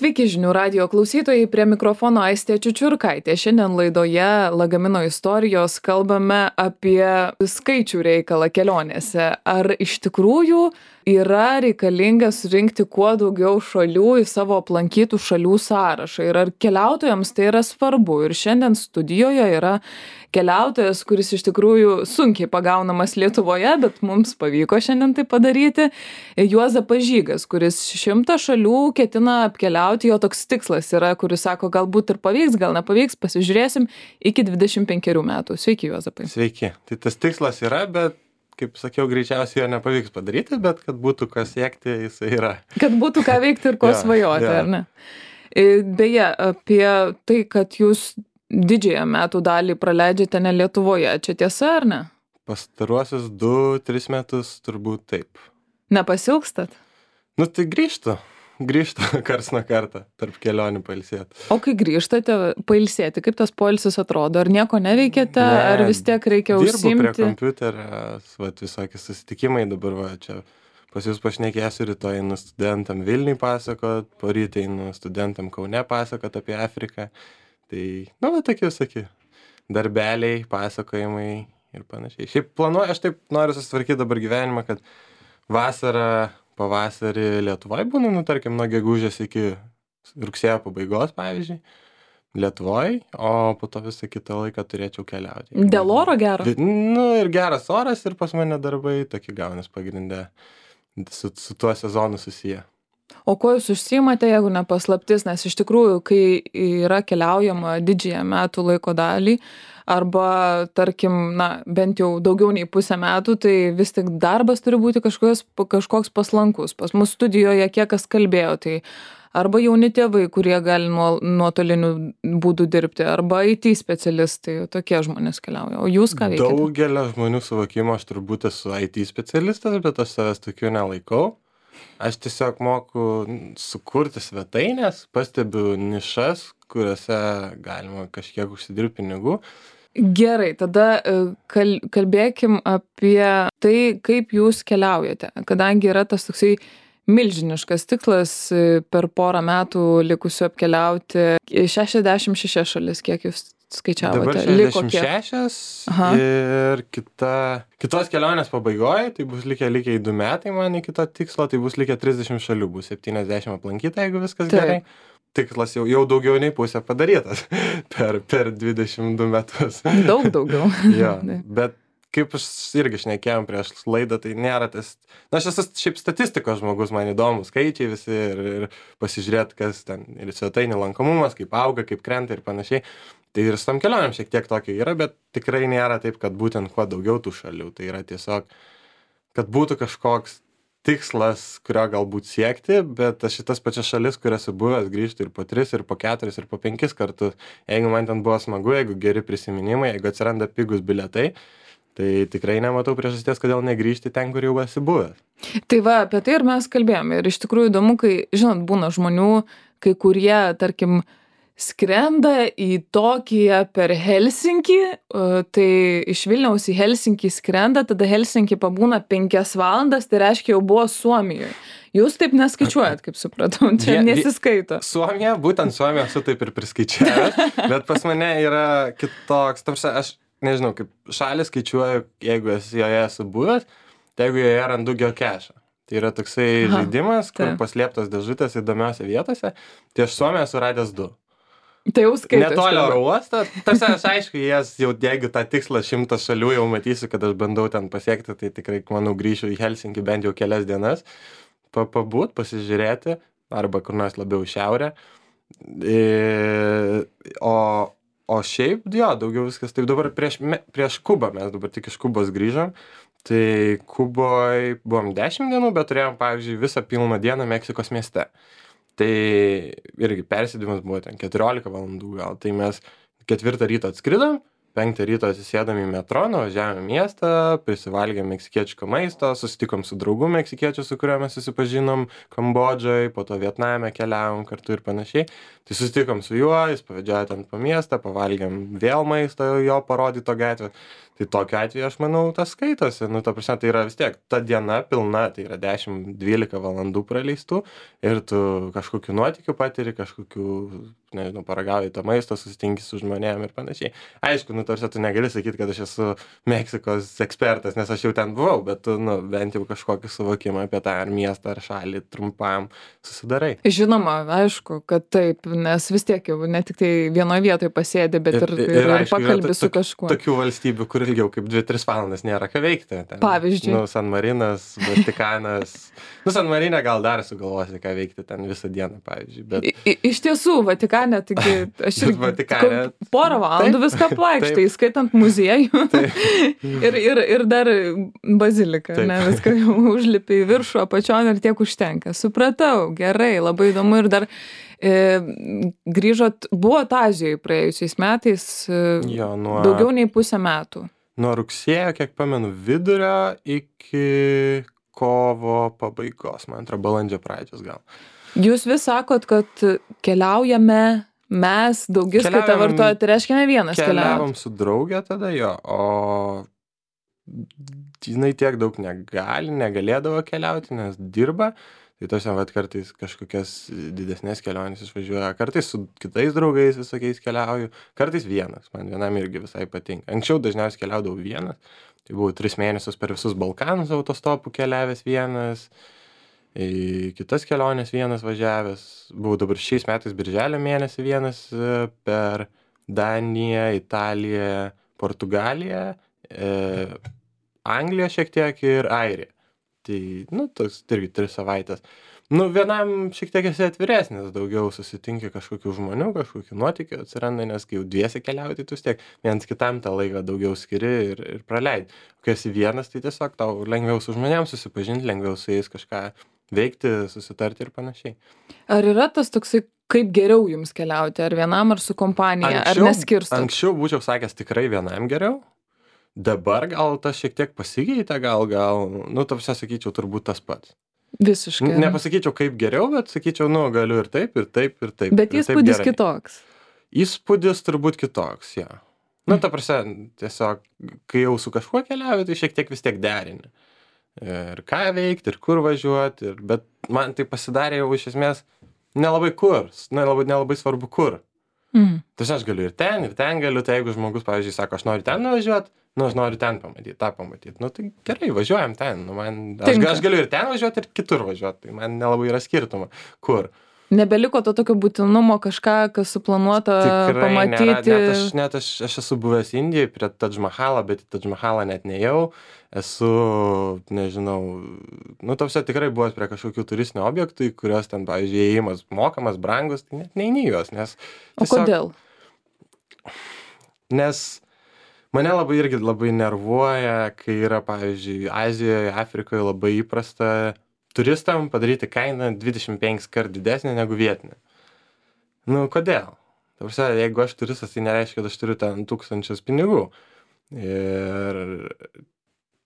Sveiki žinių radijo klausytojai, prie mikrofono Aistė Čiučiurkaitė. Šiandien laidoje Lagamino istorijos kalbame apie skaičių reikalą kelionėse. Ar iš tikrųjų yra reikalinga surinkti kuo daugiau šalių į savo aplankytų šalių sąrašą ir ar keliautojams tai yra svarbu? Ir šiandien studijoje yra keliautojas, kuris iš tikrųjų sunkiai pagaunamas Lietuvoje, bet mums pavyko šiandien tai padaryti. Juozapas Žygas, kuris 100 šalių ketina apkeliauti, jo toks tikslas yra, kuris sako, galbūt ir pavyks, gal nepavyks, pasižiūrėsim iki 25 metų. Sveiki, Juozapai. Sveiki. Tai tas tikslas yra, bet, kaip sakiau, greičiausiai jo nepavyks padaryti, bet kad būtų ką siekti, jisai yra. Kad būtų ką veikti ir ko svajoti, ar ne? Beje, apie tai, kad jūs didžiąją metų dalį praleidžiate ne Lietuvoje, čia tiesa ar ne? Pastaruosius 2-3 metus turbūt taip. Nepasilgstat? Nu tai grįžtu karts nuo kartą tarp kelionių pailsėti. O kai grįžtate pailsėti, kaip tas poilsis atrodo? Ar nieko neveikiate, ar vis tiek reikia užsiimti? Dirbu prie kompiuterio, visokie susitikimai dabar, čia pas jūs pašnekėsiu, rytoj einu studentam Vilniui pasakot, poryt einu studentam Kaune pasakot apie Afriką. Tai, tokie visokie darbeliai, pasakojimai ir panašiai. Šiaip planuoju, aš taip noriu susitvarkyti dabar gyvenimą, kad vasarą, pavasarį Lietuvoje būnu, tarkim, nuo gegužės iki rugsėjo pabaigos, pavyzdžiui, Lietuvoje, o po to visą kitą laiką turėčiau keliauti. Dėl oro gero? Ir geras oras, ir pas mane darbai tokie gaunas pagrinde su tuo sezonu susiję. O kuo jūs užsiimate, jeigu ne paslaptis, nes iš tikrųjų, kai yra keliaujama didžiąją metų laiko dalį, arba, tarkim, bent jau daugiau nei pusę metų, tai vis tik darbas turi būti kažkoks paslankus. Pas mus studijoje kiek kas kalbėjo, tai arba jauni tėvai, kurie gali nuotoliniu būdu dirbti, arba IT specialistai, tokie žmonės keliauja. O jūs ką veikiate? Daugelio žmonių suvokimo aš turbūt esu IT specialistas, bet aš savęs tokiu nelaikau. Aš tiesiog moku sukurti svetainės, pastebiu nišas, kuriuose galima kažkiek užsidirbti pinigų. Gerai, tada kalbėkim apie tai, kaip jūs keliaujate, kadangi yra tas toksai milžiniškas tikslas per porą metų likusių apkeliauti 66 šalis, kiek jūs skaičiavote? Dabar 66 ir kitos kelionės pabaigoje, tai bus likę 2 metai man iki to tikslo, tai bus likę 30 šalių, bus 70 aplankyta, jeigu viskas gerai. Tikslas jau daugiau nei pusė padarytas per 22 metus. Daug daugiau. Jo, bet kaip aš irgi šnekėjom prieš laidą, tai nėra tas... aš esu šiaip statistikos žmogus, man įdomu skaičiai visi ir pasižiūrėti, kas ten ir svetainių lankomumas, kaip auga, kaip krenta ir panašiai. Tai ir su tom kelionėm šiek tiek tokio yra, bet tikrai nėra taip, kad būtent kuo daugiau tų šalių. Tai yra tiesiog, kad būtų kažkoks tikslas, kurio galbūt siekti, bet aš šitas pačias šalis, kurias esu buvęs, grįžtu ir po 3, ir po 4, ir po 5 kartus. Jeigu man ten buvo smagu, jeigu geri prisiminimai, jeigu atsiranda pigus bilietai, tai tikrai nematau priežasties, kodėl negrįžti ten, kur jau esi buvęs. Tai va, apie tai ir mes kalbėjome. Ir iš tikrųjų įdomu, kai, žinot, būna žmonių, kai kurie, tarkim, skrenda į Tokiją per Helsinkį, tai iš Vilniaus į Helsinkį skrenda, tada Helsinkį pabūna 5 valandas, tai reiškia jau buvo Suomijoje. Jūs taip neskaičiuojat, kaip supratau, čia nesiskaito. Suomija, būtent Suomija esu taip ir priskaičiavęs, bet pas mane yra kitoks, aš nežinau, kaip šalį skaičiuoju, jeigu joje esu buvęs, tai jeigu joje randu geocache. Tai yra toksai žaidimas, kur paslėptos dėžutės įdomiose vietose, tai aš Suomiją esu radęs 2. Tai jau skaitas. Netolio oro uostą. Tarsi aš aišku, jeigu tą tikslą 100 šalių jau matysiu, kad aš bandau ten pasiekti, tai tikrai, manau, grįšiu į Helsinkį bent jau kelias dienas, pabūt, pasižiūrėti, arba kur nors labiau į šiaurę. O šiaip, daugiau viskas. Taip dabar prieš Kubą, mes dabar tik iš Kubos grįžom, tai Kuboje buvom 10 dienų, bet turėjom, pavyzdžiui, visą pilną dieną Meksikos mieste. Tai irgi persėdimas buvo ten 14 valandų gal, tai mes 4 ryto atskridom, 5 ryto atsisėdom į metro, nuvažiavom į miestą, prisivalgėm meksikietiško maisto, susitikom su draugu meksikiečiu, su kuriuo mes susipažinom Kambodžoj, po to Vietname keliavom kartu ir panašiai. Tai susitikom su juo, jis pavedžiojo ten po miestą, pavalgėm vėl maisto jo parodyto gatvę. Tai tokiu atveju, aš manau, tas skaitosi. Nu, ta prasme, tai yra vis tiek ta diena pilna, tai yra 10-12 valandų praleistų ir tu kažkokiu nuotykiu patiri, kažkokiu, nežinau, paragauji to maisto, susitinki su žmonėm ir panašiai. Aišku, nu, tarsi tu negali sakyti, kad aš esu Meksikos ekspertas, nes aš jau ten buvau, bet tu, nu, bent jau kažkokį suvokimą apie tą ar miestą, ar šalį trumpam susidarai. Žinoma, aišku, kad taip, nes vis tiek jau ne tik tai vienoje vietoje pasėdi, bet ir aišku, pakalbi su kažkuo. Tokių valstybių, kur ilgiau kaip 2-3 valandas nėra ką veikti. Ten, Pavyzdžiui. Nu, San Marinas, Vatikanas. Nu, San Marine gal dar sugalvosi, ką veikti ten visą dieną, pavyzdžiui. Bet... Iš tiesų, Vatikane, taigi aš ir Vatikane... porą valandų viską plakštai, skaitant muziejų ir dar baziliką, Taip. ne, viską jau užlipi į viršų, apačion ir tiek užtenka. Supratau, gerai, labai įdomu ir dar grįžot, buvot Azijoje praėjusiais metais Jo, daugiau nei pusę metų. Nuo rugsėjo, kiek pamenu, vidurio iki kovo pabaigos, man atrodo, balandžio pradžios gal. Jūs vis sakot, kad keliaujame, mes daugiskaitą vartojat, tai reiškia ne vienas Keliavom su draugė tada jo, o jinai tiek daug negalėdavo keliauti, nes dirba. Tai tosiam, vat, kartais kažkokias didesnės kelionės išvažiuoja, kartais su kitais draugais visokiais keliauju, kartais vienas, man vienam irgi visai patinka. Anksčiau dažniausiai keliaudavau vienas, tai buvau 3 mėnesius per visus Balkanus autostopų keliavęs vienas, į kitas keliones vienas važiavęs, buvau dabar šiais metais birželio mėnesį vienas per Daniją, Italiją, Portugaliją, Angliją šiek tiek ir Airiją. Tai, nu, toks irgi 3 savaitės. Nu, vienam šiek tiek esi atviresnis, daugiau susitinki kažkokių žmonių, kažkokių nuotykių atsiranda, nes kai jau dviese keliauji, tai tu vis tiek vienas kitam tą laiką daugiau skiri ir praleidi. Kai esi vienas, tai tiesiog tau lengviau su žmonėms susipažinti, lengviau su jais kažką veikti, susitarti ir panašiai. Ar yra tas toksai, kaip geriau jums keliauti, ar vienam, ar su kompanija, ar neskirstot? Anksčiau būčiau sakęs tikrai vienam geriau. Dabar gal tas šiek tiek pasikeitė, gal, nu, tarsi sakyčiau, turbūt tas pats. Visiškai. Nepasakyčiau kaip geriau, bet sakyčiau, nu, galiu ir taip, ir taip, ir taip. Bet įspūdis kitoks. Įspūdis turbūt kitoks, jo. Nu, ta prasme, tiesiog, kai jau su kažkuo keliauji, tai šiek tiek vis tiek derini. Ir ką veikti, ir kur važiuoti, bet man tai pasidarė jau iš esmės nelabai kur, nelabai svarbu kur. Tai aš galiu ir ten galiu, tai jeigu žmogus, pavyzdžiui, sako, aš noriu ten nuvažiuoti, nu, aš noriu ten pamatyti, tą pamatyti. Nu, tai gerai, važiuojam ten. Nu, aš galiu ir ten važiuoti, ir kitur važiuoti. Tai man nelabai yra skirtuma. Kur? Nebeliko to tokio būtinumo kažką, kas suplanuota pamatyti. Net aš esu buvęs Indijai prie Tadž Mahalą, bet į Tadž Mahalą net nejau. Esu, nežinau, nu, tavse tikrai buvęs prie kažkokių turistinių objektų, kurios ten, pavyzdžiui, įėjimas mokamas, brangus, tai net neini juos, nes... O kodėl? Nes mane labai nervuoja, kai yra, pavyzdžiui, Azijoje, Afrikoje labai įprasta turistam padaryti kainą 25 kart didesnė negu vietinė. Nu, kodėl? Ta prasme, jeigu aš turistas, tai nereiškia, kad aš turiu ten 1000 pinigų. Ir...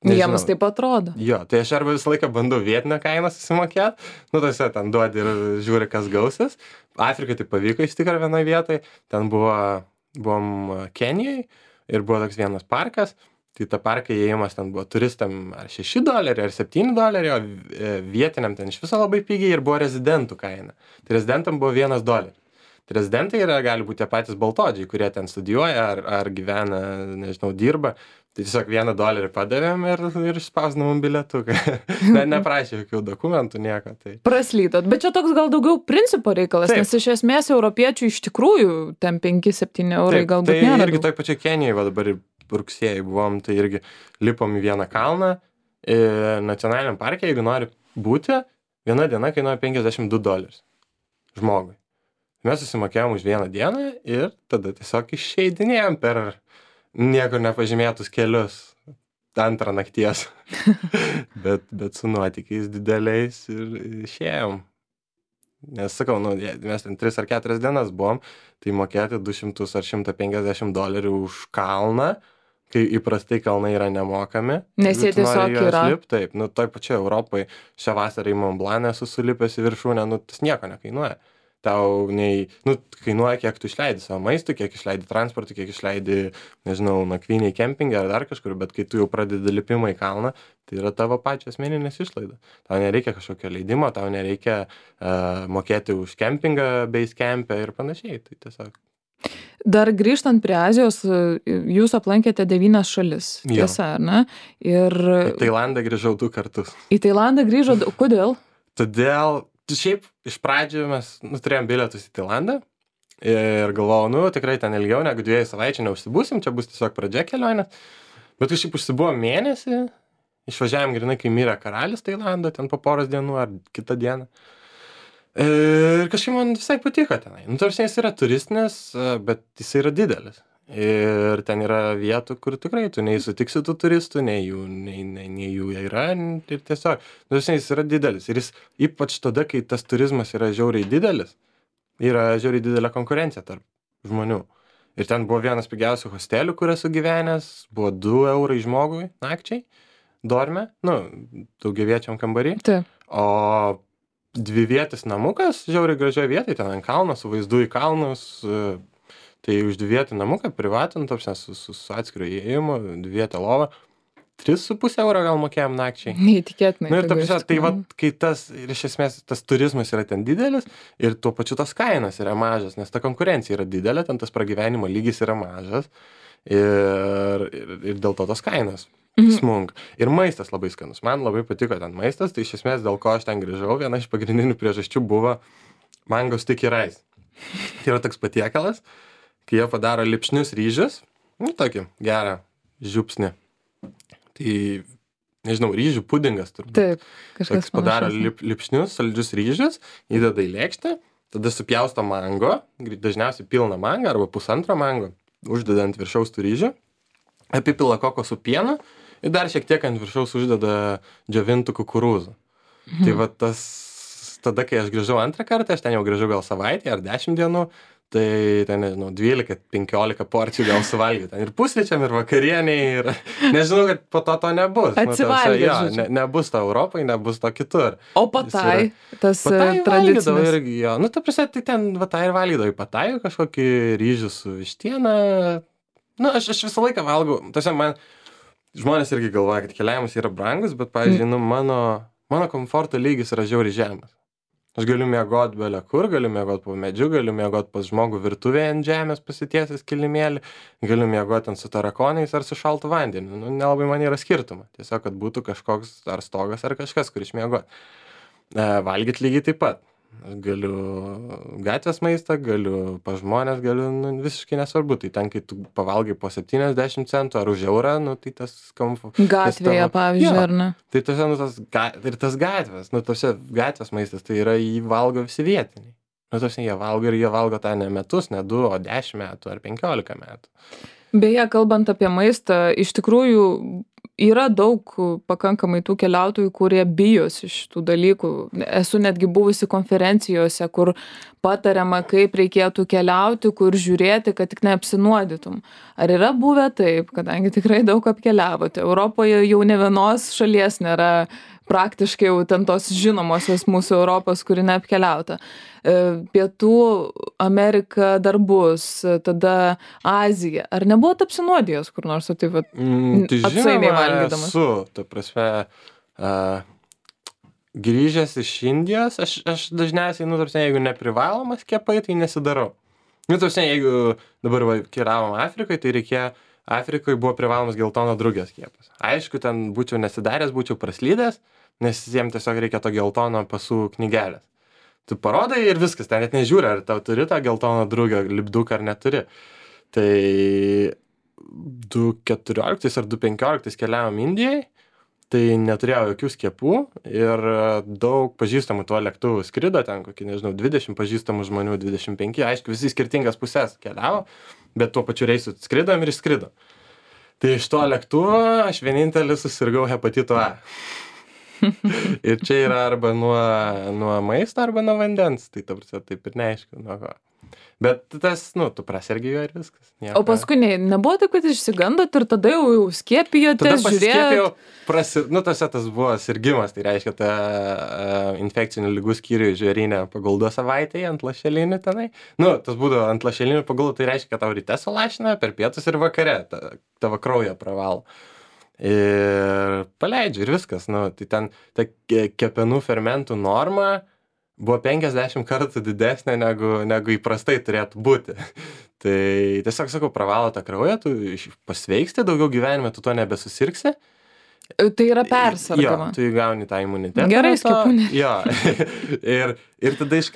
Jiems taip atrodo. Jo, tai aš arba visą laiką bandau vietinę kainą susimokėti, nu, tose ten duodi ir žiūri, kas gausis. Afrikai tai pavyko iš tikrųjų vienoje vietoje, ten buvom Kenijai ir buvo toks vienas parkas. Tai ta parką įėjimas ten buvo turistam ar $6, ar $7, o vietiniam ten iš viso labai pigiai ir buvo rezidentų kaina. Tai rezidentam buvo $1. Tai rezidentai gali būti tie patys baltodžiai, kurie ten studijuoja ar gyvena, nežinau, dirba. Tai tiesiog $1 padavėm ir spausdinom bilietuką. Neprašė jokių dokumentų, nieko. Tai. Praslytot. Bet čia toks gal daugiau principo reikalas, nes iš esmės europiečių iš tikrųjų ten 5-7 eurai galbūt nėra. Tai irgi toj pačioj Kenijai, va dabar rugsėjai buvom, tai irgi lipom į vieną kalną. Nacionaliniam parke, jeigu nori būti, viena diena kainuoja $52 žmogui. Mes susimokėjom už vieną dieną ir tada tiesiog išeidinėjom per niekur nepažymėtus kelius antrą nakties. bet su nuotykiais dideliais ir išėjom. Nes sakau, nu, mes ten 3 ar 4 dienas buvom, tai mokėti 200 ar $150 už kalną, kai įprastai kalnai yra nemokami. Nes jie tiesiog yra. Taip, nu, toj pačioj Europai šią vasarą į Mont Blanc esu sulipęs į viršūnę, nu, tas nieko nekainuoja. Tau kainuoja, kiek tu išleidi savo maistui, kiek išleidi transportui, kiek išleidi, nežinau, nakvyniai kempingą ar dar kažkur, bet kai tu jau pradedi lipimą į kalną, tai yra tavo pačios asmeninės išlaidos. Tau nereikia kažkokio leidimo, tau nereikia mokėti už kempingą, base campę ir panašiai. Tai tiesiog. Dar grįžtant prie Azijos, jūs aplankėte 9 šalis, tiesa, ar ne? Ir į Tailandą grįžau 2 kartus. Į Tailandą grįžo, kodėl? Todėl, šiaip iš pradžių mes turėjom bilietus į Tailandą ir galvojau, tikrai ten ilgiau negu 2 savaičių neužsibūsim, čia bus tiesiog pradžia kelionės. Bet kažkaip užsibuvom mėnesį, išvažiavom grinai, kai mirė karalis Tailando, ten po poros dienų ar kitą dieną. Ir kažkaip man visai patiko tenai. Tarsi jis yra turistinis, bet jis yra didelis. Ir ten yra vietų, kur tikrai tu nei sutiksi tų turistų, nei jų yra. Ir tiesiog, tarsi jis yra didelis. Ir jis ypač tada, kai tas turizmas yra žiauriai didelis, yra žiauriai didelė konkurencija tarp žmonių. Ir ten buvo vienas pigiausių hostelių, kur esu gyvenęs, buvo 2 eurai žmogui nakčiai, dorme, daugiaviečiam kambarį. Taip. O 2-vietis namukas, žiauriai gražioje vietoje, ten ant kalno, su vaizdu į kalnus, tai už 2-vietį namuką privatų, su atskiriu įėjimu, 2-vietę lovą, 3,5 euro gal mokėjom nakčiai. Neįtikėtinai. Ir tai kai ir iš esmės tas turizmas yra ten didelis ir tuo pačiu tos kainos yra mažas, nes ta konkurencija yra didelė, ten tas pragyvenimo lygis yra mažas ir dėl to tos kainos smunga. Ir maistas labai skanus. Man labai patiko ten maistas, tai iš esmės dėl ko aš ten grįžau, viena iš pagrindinių priežasčių buvo mango sticky rice. Tai yra toks patiekalas, kai jie padaro lipšnius ryžius, tokį gerą žiupsnį. Tai, nežinau, ryžių pudingas turbūt. Taip, kažkas panašus. Padaro lipšnius, saldžius ryžius, įdeda į lėkštę, tada supjausto mango, dažniausiai pilną mangą arba pusantro mango, uždeda ant viršaus tų ryžių, apipila kokosų pienu ir dar šiek tiek ant viršaus uždeda džiovintų kukurūzų. Tai va tas, tada kai aš grįžau antrą kartą, aš ten jau grįžau gal savaitę ar 10 dienų, tai ten, nežinau, 12-15 porcijų gal suvalgiau. Ten ir pusryčiam, ir vakarieniai, ir nežinau, kad po to nebus. Atsivalgiau. Nebus to Europai, nebus to kitur. O patai, tas tradicinis. Irgi, jo. Ta prasme, tai ten patai ir valgydavo į patai kažkokį ryžių su vištiena. Aš visą laiką valgau. Tiesiog man žmonės irgi galvoja, kad keliavimas yra brangus, bet, pavyzdžiui, mano komforto lygis yra žiauriai žemas. Aš galiu miegoti bele kur, galiu miegoti po medžiu, galiu miegoti pas žmogų virtuvėje ant žemės pasitiesęs kilimėlį, galiu miegoti ant su tarakonais ar su šaltu vandeniu. Nelabai man yra skirtuma. Tiesiog, kad būtų kažkoks ar stogas ar kažkas, kur išmiegoti. Valgyti lygiai taip pat. Aš galiu gatvės maistą, galiu pas žmonės, galiu visiškai nesvarbu. Tai ten, kai tu pavalgai po 70 centų ar už eurą, tai tas gatvėje, pavyzdžiui, ar ne? Tai tas gatvės, gatvės maistas, tai yra jį valgo visi vietiniai. Jie valgo tą ne metus, ne 2, o 10 metų ar 15 metų. Beje, kalbant apie maistą, iš tikrųjų yra daug pakankamai tų keliautojų, kurie bijosi šitų dalykų. Esu netgi buvusi konferencijose, kur patariama, kaip reikėtų keliauti, kur žiūrėti, kad tik neapsinuodytum. Ar yra buvę taip, kadangi tikrai daug apkeliavote? Europoje jau ne vienos šalies nėra praktiškai jau ten tos žinomosios mūsų Europos, kuri neapkeliauta. Pietų Amerika dar bus, tada Azija. Ar nebuvot apsinuodijęs kur nors, tai atsainiai valgydamas? Esu, ta prasme, grįžęs iš Indijos, aš dažniausiai, jeigu neprivalomas skiepai, tai nesidarau. Jeigu dabar keliavom Afrikai, tai reikėjo, Afrikoje buvo privalomas geltono drugio skiepas. Aišku, ten būčiau nesidaręs, būčiau praslydęs, nes jiems tiesiog reikia to geltono pasų knygelės. Tu parodai ir viskas, ten net nežiūri, ar tau turi tą geltono drugio lipduką ar neturi. Tai 2014 ar 2015 keliavom Indijai, tai neturėjau jokių skiepų ir daug pažįstamų tuo lėktuvu skrido, ten kokį, 20 pažįstamų žmonių, 25, aišku, visi skirtingas pusės keliavo, bet tuo pačiu reisu skridom ir išskridom. Tai iš to lėktuvo aš vienintelis susirgau hepatitu A. Ir čia yra arba nuo maisto, arba nuo vandens. Tai ta prasme, taip ir neaišku, nuo ko. Bet tas, tu prasergi jo ir viskas. O paskui nebuvo taip, kad išsigandot ir tada jau skiepijotės, žiūrėjau, tas buvo sirgimas, tai reiškia, ta infekcinių ligų skyrių žvėrynė paguldo savaitėje ant lašelinių tenai. Tas būdavo ant lašelinių paguldo, tai reiškia, kad tau ryte sulašina, per pietus ir vakare tavo kraują pravalo. Ir paleidžiu ir viskas. Tai ten ta kepenų fermentų norma buvo 50 kartų didesnė negu įprastai turėtų būti. Tai tiesiog sakau, pravalo tą kraują, tu pasveiksti, daugiau gyvenime tu to nebesusirgsi. Tai yra persargama. Jo, tu įgauni tą imunitetą. Gerai skiepūnė. Jo. ir tada iš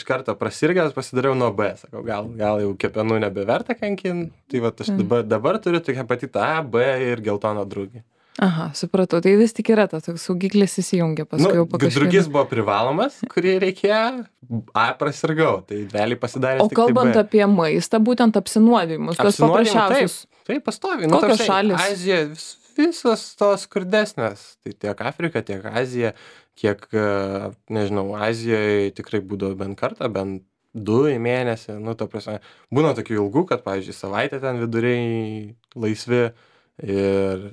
karto prasirgęs pasidariau nuo B. Sakau, gal jau kepenų nebeverta kankinti. Tai va, aš dabar turiu tik hepatitą A, B ir geltoną drugį. Aha, supratau. Tai vis tik yra tas toks saugiklis įsijungia paskui jau po kažkiek. Drugis buvo privalomas, kurį reikėjo, A prasirgau, tai realiai pasidarė. O kalbant apie maistą, būtent apsinuodijimus, tuos paprasčiausius. Taip, pastoviai. Kokios šalys? Azija, visos tos skurdesnės. Tai tiek Afrika, tiek Azija, kiek, nežinau, Azijoje tikrai būdavo bent kartą, bent 2 į mėnesį. Ta prasme, būna tokių ilgų, kad, pavyzdžiui, savaitę ten viduriai laisvi ir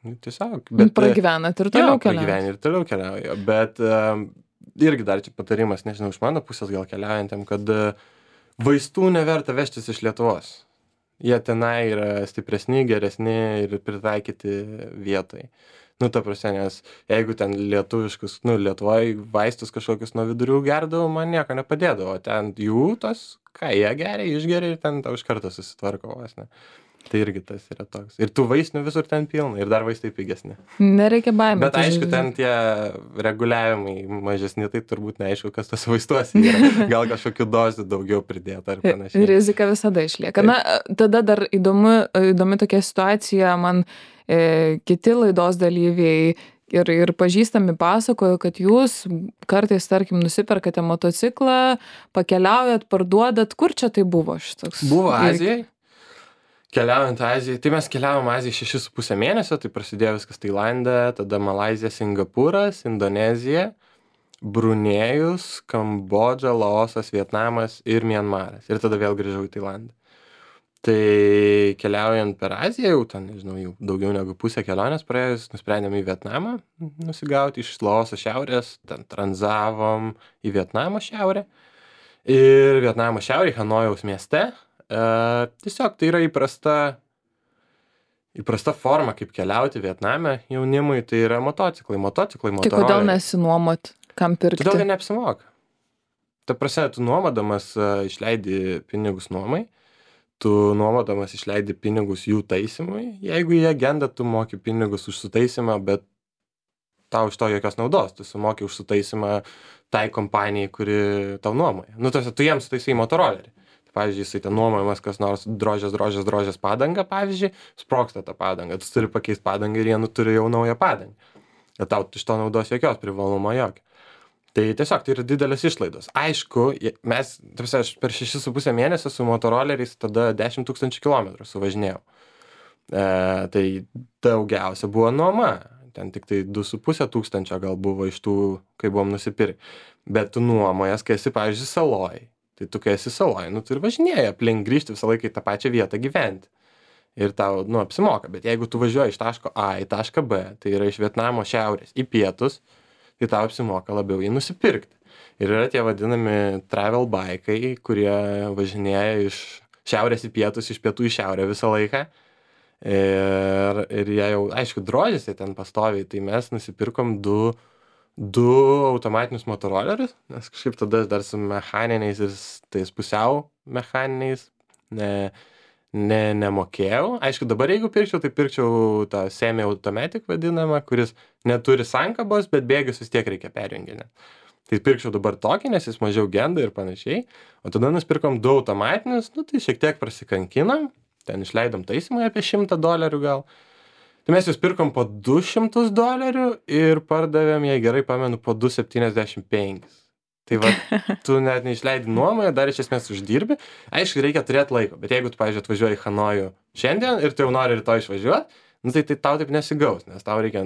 tiesiog. Pragyvenat ir toliau keliauja. Pragyveni ir toliau keliauja. Bet irgi dar čia patarimas, nežinau, iš mano pusės gal keliaujantėm, kad vaistų neverta vežtis iš Lietuvos. Jie tenai yra stipresni, geresni ir pritaikyti vietai. Ta prasme, nes jeigu ten lietuviškus, Lietuvoje vaistus kažkokius nuo vidurių gerdavo, man nieko nepadėdavo. Ten jų tos, ką jie geria, išgeria ir ten tau iš karto susitvarko vos, ne. Tai irgi tas yra toks. Ir tų vaistinių visur ten pilna. Ir dar vaistai pigesni. Nereikia baimės. Bet aišku, ten tie reguliavimai mažesni, tai turbūt neaišku, kas tas vaistuose yra. Gal kažkokių dozių daugiau pridėta ar panašiai. Rizika visada išlieka. Tada dar įdomi tokia situacija. Man kiti laidos dalyviai ir pažįstami pasakojo, kad jūs kartais, tarkim, nusiperkate motociklą, pakeliaujat, parduodat. Kur čia tai buvo šitoks? Buvo Azijai. Keliaujant Azijai, tai mes keliavom Azijai 6,5 mėnesio, tai prasidėjo viskas Tailande, tada Malaizija, Singapūras, Indonezija, Brunėjus, Kambodža, Laosas, Vietnamas ir Mianmaras. Ir tada vėl grįžau į Tailandą. Tai keliaujant per Aziją, jau ten, nežinau, jau daugiau negu pusę kelionės praėjus, nusprendėm į Vietnamą nusigauti iš Laoso šiaurės, ten tranzavom į Vietnamo šiaurę. Ir Vietnamo šiaurė, Hanojaus mieste. Tiesiog tai yra įprasta forma, kaip keliauti Vietname jaunimui, tai yra motociklai, motoroleriai. Tai kodėl nesinuomot, kam pirkti? Todėl, kad neapsimoka. Ta prasme, tu nuomodamas išleidi pinigus nuomai, tu nuomodamas išleidi pinigus jų taisymui, jeigu jie genda, tu moki pinigus už sutaisymą, bet tau iš to jokios naudos, tu sumoki už sutaisymą tai kompanijai, kuri tau nuomoja. Tu jiems sutaisai motorolerį. Pavyzdžiui, jisai ten nuomojamas kas nors drožės padangą, pavyzdžiui, sprogsta tą padangą, tu turi pakeisti padangą ir jie turi jau naują padangą. Ir tau iš to naudos jokios, privalumo jokio. Tai tiesiog tai yra didelės išlaidos. Aišku, aš per 6,5 mėnesio su motoroleriais tada 10 000 kilometrų suvažinėjau. Tai daugiausia buvo nuoma. Ten tik tai 2,5 tūkstančio gal buvo iš tų, kai buvom nusipirkę. Bet tu nuomojas, kai esi, pavyzdžiui, saloj. Tai tu, kai esi saloj, tu ir važinėji aplink, grįžti visą laiką į tą pačią vietą gyventi. Ir tau, apsimoka. Bet jeigu tu važiuoji iš taško A į tašką B, tai yra iš Vietnamo šiaurės į pietus, tai tau apsimoka labiau jį nusipirkti. Ir yra tie vadinami travel bike'ai, kurie važinėja iš šiaurės į pietus, iš pietų į šiaurę visą laiką. Ir jie jau, aišku, drožėsi ten pastoviai, tai mes nusipirkom du automatinius motorolerius, nes kažkaip tada dar su mechaniniais ir tais pusiau mechaniniais nemokėjau. Aišku, dabar jeigu pirkčiau, tai pirkčiau tą semi-automatic vadinamą, kuris neturi sankabos, bet bėgius vis tiek reikia perjunginti. Tai pirkčiau dabar tokį, nes jis mažiau genda ir panašiai. O tada nusipirkom 2 automatinius, tai šiek tiek prasikankinam, ten išleidom taisymui apie $100 gal. Tai mes jūs pirkom po $200 ir pardavėm, jei gerai pamenu, po 275. Tai va, tu net neišleidi nuomoje, dar iš esmės uždirbi. Aišku, reikia turėti laiko, bet jeigu tu, pavyzdžiui, atvažiuoji į Hanojų šiandien ir tu jau nori rytoj išvažiuoti, nu tai tau taip nesigaus, nes tau reikia,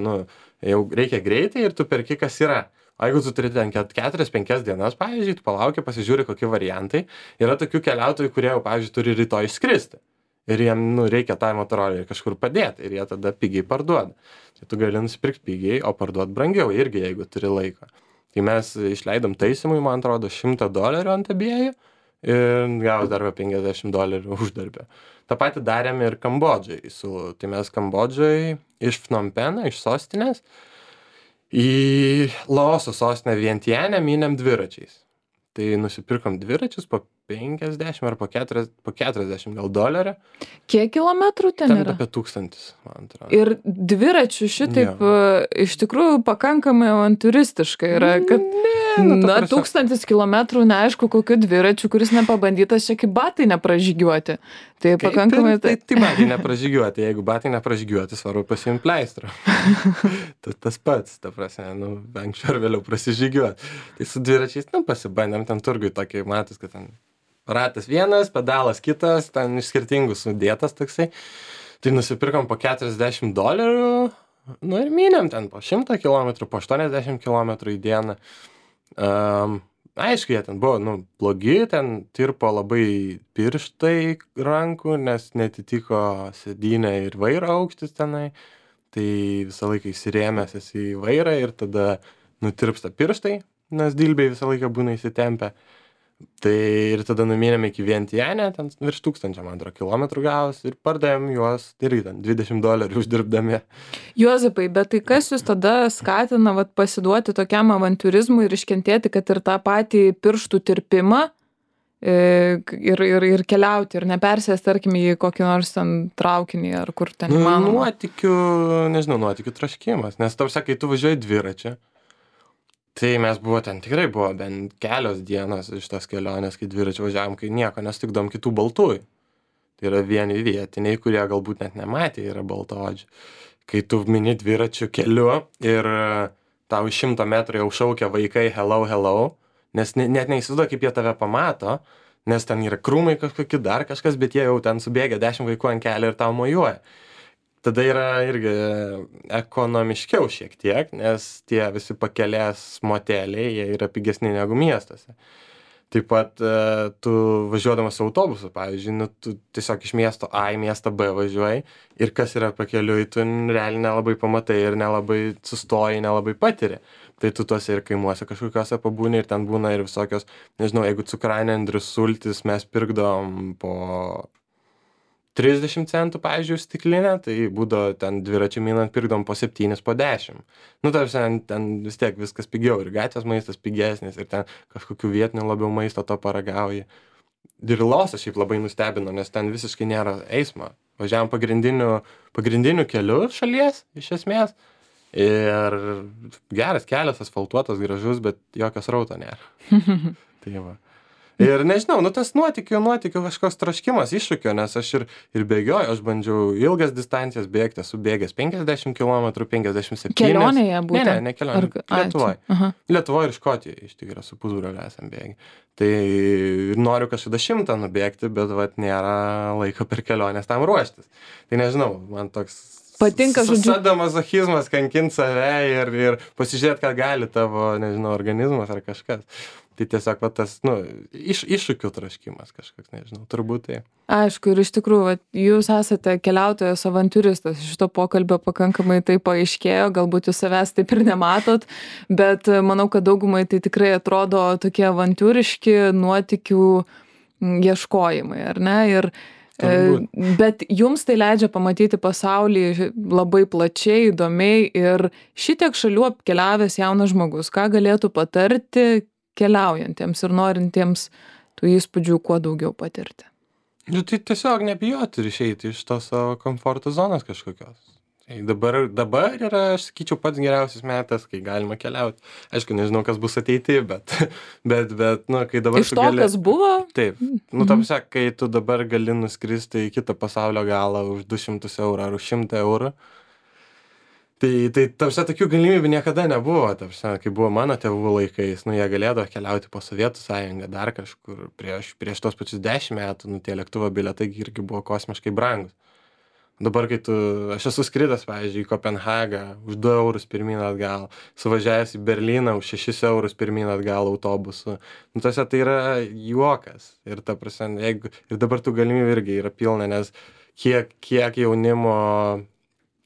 jau reikia greitai ir tu perki, kas yra. O jeigu tu turi ten 4-5 dienas, pavyzdžiui, tu palauki, pasižiūri, kokie variantai. Yra tokių keliautojų, kurie jau, pavyzdžiui, turi rytoj išskristi. Ir jiem, reikia tą motorolį kažkur padėti ir jie tada pigiai parduoda. Tai tu gali nusipirkti pigiai, o parduoti brangiau irgi, jeigu turi laiko. Tai mes išleidom taisymui, man atrodo, $100 ant abiejų ir gavus dar $50 uždarbę. Ta pati darėm ir Kambodžai. Tai mes Kambodžai iš Phnom Penho, iš sostinės, į Laoso sostinę Vientianę mynėm dviračiais. Tai nusipirkom dviračius po 50 ar po 40 gal $. Kiek kilometrų ten yra? Apie 1000, man atrodo. Ir dviračių šitaip iš tikrųjų pakankamai avantūristiškai yra, kad 1000 kilometrų neaišku kokiu dviračiu, kuris nepabandytas čia kaip batai nepražygiuoti. Tai pakankamai... Tai batai nepražygiuoti, jeigu batai nepražygiuoti, svarbu pasiimti pleistrą. Tas pats, ta prasme, anksčiau ar vėliau prasižygiuoti. Tai su dviračiais, pasibandėm ten turgui tokį, matus, kad ten ratas vienas, pedalas kitas, ten iš skirtingų sudėtas toksai. Tai nusipirkom po $40 ir mynėm ten po 100 km, po 80 km į dieną. Aišku, jie ten buvo, blogi, ten tirpo labai pirštai rankų, nes netitiko sėdynė ir vairo aukštis tenai. Tai visą laiką įsirėmęs esi į vairą ir tada nutirpsta pirštai, nes dilbiai visą laiką būna įsitempę. Tai ir tada numynėm iki Vientianę, ten virš 1000, man atrodo, kilometrų gavus ir pardavėm juos, irgi ten $20 uždirbdami. Juozapai, bet tai kas jūs tada skatina pasiduoti tokiam avantūrizmui ir iškentėti, kad ir tą patį pirštų tirpimą ir keliauti ir nepersės, tarkim, į kokį nors ten traukinį ar kur ten įmanoma? Nuotykių traškimas, nes tau sakai, tu važiuoji dviračiu. Tai mes tikrai buvo bent kelios dienos iš tos kelionės, kai dviračiu važiavom, kai nieko nestikdom kitų baltųjų. Tai yra vieni vietiniai, kurie galbūt net nematė, yra baltaodžių. Kai tu mini dviračių keliu ir tau 100 metrų jau šaukia vaikai hello, hello, nes net neįsivaizduoju, kaip jie tave pamato, nes ten yra krūmai kažkokie dar kažkas, bet jie jau ten subėgia 10 vaikų ant kelio ir tau mojuoja. Tada yra irgi ekonomiškiau šiek tiek, nes tie visi pakelės moteliai, jie yra pigesni negu miestuose. Taip pat tu važiuodamas autobusu, pavyzdžiui, tu tiesiog iš miesto A į miestą B važiuoji ir kas yra pakeliui, tu realiai nelabai pamatai ir nelabai sustoji, nelabai patiri. Tai tu tuose ir kaimuose kažkokiuose pabūni ir ten būna ir visokios, jeigu cukrainė Andrius sultis mes pirkdom po 30 centų, pavyzdžiui, stiklinę, tai būdavo ten dviračių minant pirkdom po 7, po 10. Ten vis tiek viskas pigiau ir gatvės maistas pigesnis ir ten kažkokių vietinių labiau maisto to paragauji. Ir Laosas šiaip labai nustebino, nes ten visiškai nėra eismo. Važiavom pagrindiniu keliu šalies, iš esmės. Ir geras kelias, asfaltuotas, gražus, bet jokio srauto nėra. Tai va. Ir nežinau, tas nuotykių kažkoks troškimas iššūkio, nes aš ir bėgioju, aš bandžiau ilgas distancijas bėgti, esu bėgęs 50 km, 57. Kelionėje būtent? Ne, kelionėje. Lietuvoje ir Škotijoje, iš tikrųjų, su pusbroliu esam bėgi. Tai noriu kažkada 100 nubėgti, bet nėra laiko per kelionės tam ruoštis. Tai nežinau, man toks... Patinka, žodžiu. Sadomazochizmas kankint save ir pasižiūrėti, ką gali tavo, organizmas ar kažkas. Tai tiesiog tas, iššūkių traškimas kažkoks, turbūt tai. Aišku, ir iš tikrųjų, jūs esate keliautojas, avantūristas, iš šito pokalbio pakankamai tai paaiškėjo, galbūt jūs savęs taip ir nematot, bet manau, kad daugumai tai tikrai atrodo tokie avantūriški nuotykių ieškojimai, ar ne? Bet jums tai leidžia pamatyti pasaulį labai plačiai, įdomiai ir šitiek šalių apkeliavęs jaunas žmogus, ką galėtų patarti keliaujantiems ir norintiems tų įspūdžių kuo daugiau patirti? Tai tiesiog nebijoti ir išeiti iš tos savo komforto zonos kažkokios. Dabar yra, aš sakyčiau, pats geriausias metas, kai galima keliauti. Aišku, nežinau, kas bus ateity, bet kai dabar... Iš to, kas buvo? Taip. Kai tu dabar gali nuskristi į kitą pasaulio galą už 200 eurų ar už 100 eurų, tai tokių galimybių niekada nebuvo. Kai buvo mano tėvų laikais, jie galėdavo keliauti po Sovietų sąjungą dar kažkur prieš tos pačius 10 metų, tie lėktuvo bilietai irgi buvo kosmiškai brangus. Dabar, aš esu skridęs, pavyzdžiui, į Kopenhagą už 2 eurus pirmyn atgal, suvažiavęs į Berlyną už 6 eurus pirmyn atgal autobusu. Nu, tose tai yra juokas. Ir ta prasme, ir dabar tų galimybių irgi yra pilna, nes kiek jaunimo,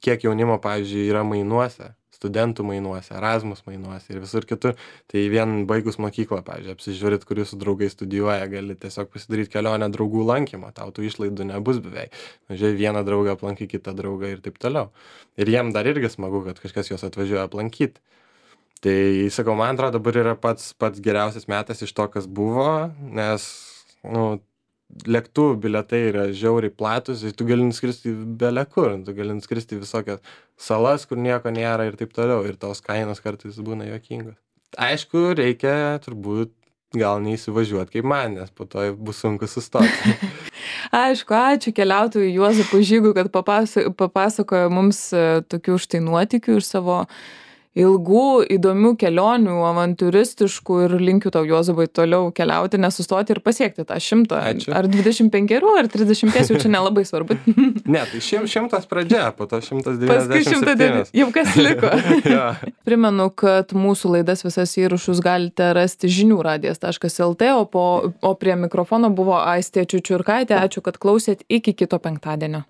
pavyzdžiui, yra mainuose, studentų mainuose, Erasmus mainuose ir visur kitur. Tai vien baigus mokyklą, pavyzdžiui, apsižiūrėt, kur jūsų draugai studijuoja, gali tiesiog pasidaryti kelionę draugų lankymą, tau tų išlaidų nebus beveik. Žiūrėk, vieną draugą aplankai, kitą draugą ir taip toliau. Ir jiem dar irgi smagu, kad kažkas juos atvažiuoja aplankyti. Tai, sakau, man atrodo, dabar yra pats geriausias metas iš to, kas buvo, nes, lėktuvų bilietai yra žiauriai platus ir tu gali nuskristi bele kur, tu gali nuskristi visokias salas, kur nieko nėra ir taip toliau, ir tos kainos kartais būna juokingos. Aišku, reikia turbūt gal neįsivažiuoti kaip man, nes po to bus sunku sustoti. Aišku, ačiū keliautojui Juozapui Žygui, kad papasakojo mums tokių štai nuotykių iš savo ilgų, įdomių kelionių, avantūristiškų, ir linkiu tau, Juozapai, toliau keliauti, nesustoti ir pasiekti tą 100. Ačiū. Ar 25, ar 30, jau čia nelabai svarbu. Ne, tai 100 pradžia, po to 197. Paskui 109, jau kas liko. Ja. Primenu, kad mūsų laidas visas įrašus galite rasti žiniųradijas.lt, o prie mikrofono buvo Aistė Čiučiurkaitė. Ačiū, kad klausėt, iki kito penktadienio.